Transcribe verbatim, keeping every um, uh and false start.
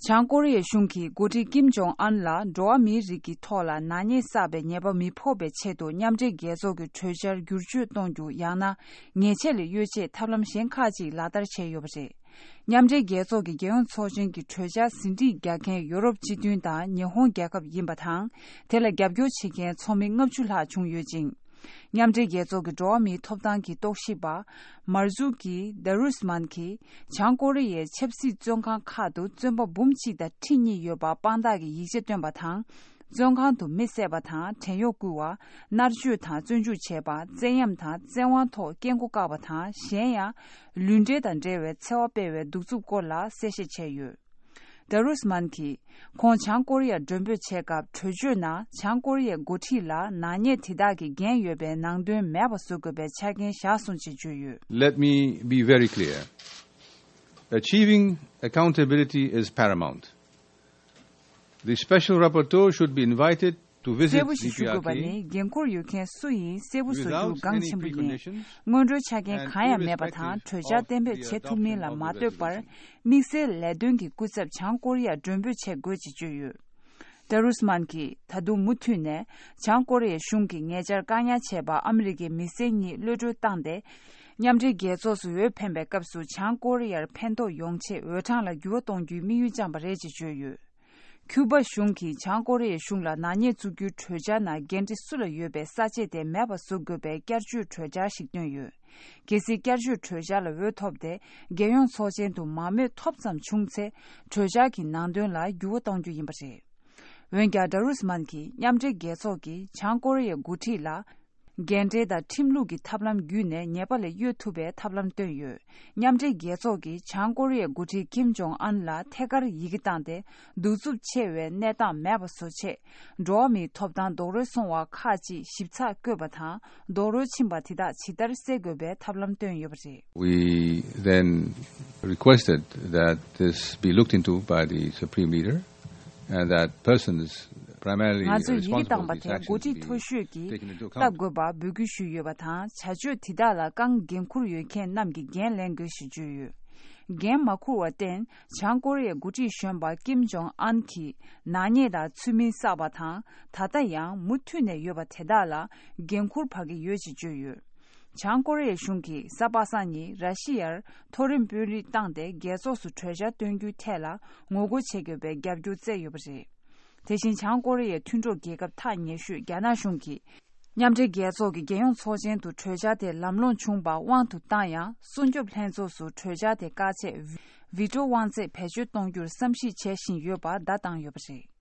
བྱང་ཀོ་རི་ཡའི་གཞུང་གིས་འགོ་ཁྲིད་ཀིམ་ཇོང་ཨན་ལ་འགྲོ་བ་མིའི་རིགས་ཀྱི་ཐོག་ལ་ནག་ཉེས་བསགས་པའི་ཉེས་པ་མི་ཕོག་པའི་ཆེད་དུ་མཉམ་འབྲེལ་རྒྱལ་ཚོགས་ཀྱི་གྲོས་འཆར་བསྒྱུར་བཅོས་གཏོང་རྒྱུ། ཡང་ན་ཉེས་ཆད་ལས་གཡོལ་ཆེད་ཐབས་ལམ་གཞན་ཁག་ཅིག་ལག་བསྟར་བྱས་ཡོད་པ་རེད། མཉམ་འབྲེལ་རྒྱལ་ཚོགས་ཀྱི་རྒྱལ་ཡོངས་ཚོགས་ཆེན་གྱི་གྲོས་འཆར་ཟིན་བྲིས་རྒྱག་མཁན་ཡོ་རོབ་སྤྱི་མཐུན་དང་ཉི་ཧོང་རྒྱལ་ཁབ་ཡིན་པ་དང་། དེ་ལ་རྒྱབ་སྐྱོར་བྱེད་མཁན་ཚོགས་མི་ལྔ་བཅུ་ལྷག་བྱུང་ཡོད་ཅིང་། མཉམ་འབྲེལ་རྒྱལ་ཚོགས་ཀྱི་འགྲོ་བ་མིའི་ཐོབ་ཐང་གི་རྟོག་ཞིབ་པ་མར་ཛུ་ཀི་དཱ་རུས་མན་གྱིས་བྱང་ཀོ་རི་ཡའི་ཆབ་སྲིད་བཙོན་ཁང་ཁག་ཏུ་བཙོན་པ་འབུམ་གཅིག་དང་ཁྲི་གཉིས་ཡོད་པ་དཔང་རྟགས་ཀྱི་ཡིག་ཆ་བཏོན་པ་དང་། བཙོན་ཁང་དུ་མི་བསད་པ་དང་བྲན་གཡོག་བསྐུལ་བ། མནར་གཅོད་དང་བཙོན་འཇུག་བྱས་པ། བཙན་གཡེམ་དང་བཙན་དབང་ཐོག་སྐྱེལ་སྒོ་བཀག་པ་དང་གཞན་ཡང་། ལུས་འབྲེལ་དང་འབྲེལ་བའི་འཚེ་བ་སྤེལ་བའི་གདུག་རྩུབ་སྐོར་ལ་གསལ་བཤད་བྱས་ཡོད། ད་རུས་མན་གྱིས། ཁོང་བྱང་ཀོ་རི་ཡར་མགྲོན་འབོད་བྱས་སྐབས་གྲོས་ཆོད་ནང་བྱང་ཀོ་རི་ཡའི་འགོ་ཁྲིད་ལ་ནག་ཉེས་དེ་དག་གི་འགན་ཡོད་པའི་ནང་དོན་མེད་པ་བཟོ་དགོས་པའི་ཆ་རྐྱེན་བཞག་སོང་ཅེས་བརྗོད་ཡོད། Let me be very clear. Achieving accountability is paramount. The special rapporteur should be invited to visit གསལ་པོ་ཞིག་ཞུ་དགོས་པ་ནི། འགན་འཁུར་ཡོད་མཁན་སུ་ཡིན་གསལ་པོ་བཟོ་རྒྱུ་གང་ཆེན་པོ་ཡིན། སྔོན་འགྲོའི་ཆ་རྐྱེན་གང་ཡང་མེད་པ་དང་གྲོས་འཆར་གཏན་འབེབས་བྱེད་ཐུབ་མིན་ལ་མ་ལྟོས་པར། དམིགས་བསལ་ལས་དོན་གྱི་སྐུ་ཚབ་བྱང་ཀོ་རི་ཡར་མགྲོན་འབོད་བྱེད་དགོས་ཅེས་བརྗོད་ཡོད། ད་རུས་མན་གྱིས་ད་དུང་མུ་མཐུད་ནས་བྱང་ཀོ་རི་ཡའི་གཞུང་གིས་ཉེ་ཆར་བཀག་ཉར་བྱས་པ་ཨ་མི་རི་ཀའི་མི་སེར་གཉིས་གློད་གྲོལ་བཏང་སྟེ། མཉམ་འབྲེལ་རྒྱལ་ཚོགས་སུ་འོས་འཕེན་པའི་སྐབས་སུ་བྱང་ཀོ་རི་ཡར་ཕན་ཐོགས་ཡོང་ཆེད་འོས་གྲངས་ལ་འགྱུར་བ་གཏོང་རྒྱུའི་དམིགས་ཡུལ་བཅངས་པ་རེད་ཅེས་བརྗོད་ཡོད། ཁྱུ་པ་གཞུང་གིས་བྱང་ཀོ་རི་ཡའི་གཞུང་ལ་ནག་ཉེས་བཙུགས་རྒྱུའི་གྲོས་འཆར་ནང་འགན་འཁྲི་སུ་ལ་ཡོད་པའི་ས་བཅད་དེ་མེད་པ་བཟོ་དགོས་པའི་བསྐྱར་བཅོས་གྲོས་འཆར་ཞིག་བཏོན་ཡོད། གལ་སྲིད་བསྐྱར་བཅོས་གྲོས་འཆར་ལ་འོས་ཐོབ་སྟེ། རྒྱལ་ཡོངས་ཚོགས་ཆེན་དུ་མང་མོས་ཐོབ་ཙམ་བྱུང་ཚེ། གྲོས་འཆར་གྱི་ནང་དོན་ལ་འགྱུར་བ་གཏོང་རྒྱུ་ཡིན་པ་རེད། འོན་ཀྱང་། ད་རུས་མན་གྱིས་མཉམ་འབྲེལ་རྒྱལ་ཚོགས་ཀྱིས་བྱང་ཀོ་རི་ཡའི་འགོ་ཁྲིད་ལ། རྒན་འབྲེལ་དང་ཁྲིམས་ལུགས་ཀྱི་ཐབས་ལམ་བརྒྱུད་ནས་ཉེས་པ་ལས་གཡོལ་ཐུབ་པའི་ཐབས་ལམ་བཏོན་ཡོད། མཉམ་འབྲེལ་རྒྱལ་ཚོགས་ཀྱིས་བྱང་ཀོ་རི་ཡའི་འགོ་ཁྲིད་ཀིམ་ཇོང་ཨན་ལ་ཐད་ཀར་ཡི་གེ་བཏང་སྟེ། གདུག་རྩུབ་ཆེ་བའི་གནས་སྟངས་མེད་པ་བཟོ་ཆེད། འགྲོ་བ་མིའི་ཐོབ་ཐང་རྡོག་རོལ་སོང་བ་ཁག་ཅིག་ཞིབ་ཚགས་བཀོད་པ་དང་། རྡོག་རོལ་ཕྱིན་པ་དེ་དག་ཇི་ལྟར་སེལ་དགོས་པའི་ཐབས་ལམ་བཏོན་ཡོད་པ་རེད། We then requested that this be looked into by the Supreme Leader and that persons primarily ང་ཚོས་ཡི་གེ་བཏང་པ་དེ་འགོ་ཁྲིད་མཐོ་ཤོས་ཀྱིས་ལྟ་དགོས་པ་འབོད་སྐུལ་ཞུས་ཡོད་པ་དང་། བྱ་སྤྱོད་དེ་དག་ལ་རྐང་འགན་འཁུར་ཡོད་མཁན་རྣམས་ཀྱིས་འགན་ལེན་དགོས་ཞེས་བརྗོད་ཡོད། འགན་མ་འཁུར་བར་བརྟེན། བྱང་ཀོ་རི་ཡའི་འགོ་ཁྲིད་གཞོན་པ་ཀིམ་ཇོང་ཨན་གྱིས་ནག་ཉེས་དང་ཚུལ་མིན་བསགས་པ་དང་། ད་ལྟ་ཡང་མུ་མཐུད་ནས་ཡོད་པ་དེ་དག་ལ་འགན་འཁུར་འབག་གི་ཡོད་ཅེས་བརྗོད་ཡོད། བྱང་ཀོ་རི་ཡའི་གཞུང་གིས་གཟའ་པ་སངས་ཉིན་ར་ཤི་ཡར་མཐོ་རིམ་དཔོན་རིགས་བཏང་སྟེ་རྒྱལ་ཚོགས་སུ་གྲོས་འཆར་བཏོན་རྒྱུའི་ཐད་ལ་ངོ་རྒོལ་བྱེད་དགོས་པའི་རྒྱབ་སྐྱོར་བསྩལ་ཡོད་པ་རེད། དེ་བཞིན་བྱང་ཀོ་རི་ཡའི་མཐུན་གྲོགས་རྒྱལ་ཁབ་ཐག་ཉེ་ཤོས་རྒྱ་ནག་གཞུང་གིས། མཉམ་འབྲེལ་རྒྱལ་ཚོགས་ཀྱི་རྒྱལ་ཡོངས་ཚོགས་ཆེན་དུ་གྲོས་འཆར་དེ་ལམ་ལྷོང་བྱུང་བར་དབང་དུ་བཏང་ཡང་། སྲུང་སྐྱོབ་ལྷན་ཚོགས་སུ་གྲོས་འཆར་དེ་བཀག་ཆེད་བི་ཊོ་དབང་ཚད་བེད་སྤྱོད་གཏོང་རྒྱུར་བསམ་གཞིག་བྱེད་བཞིན་ཡོད་པར་བརྡ་བཏང་ཡོད་པ་རེད།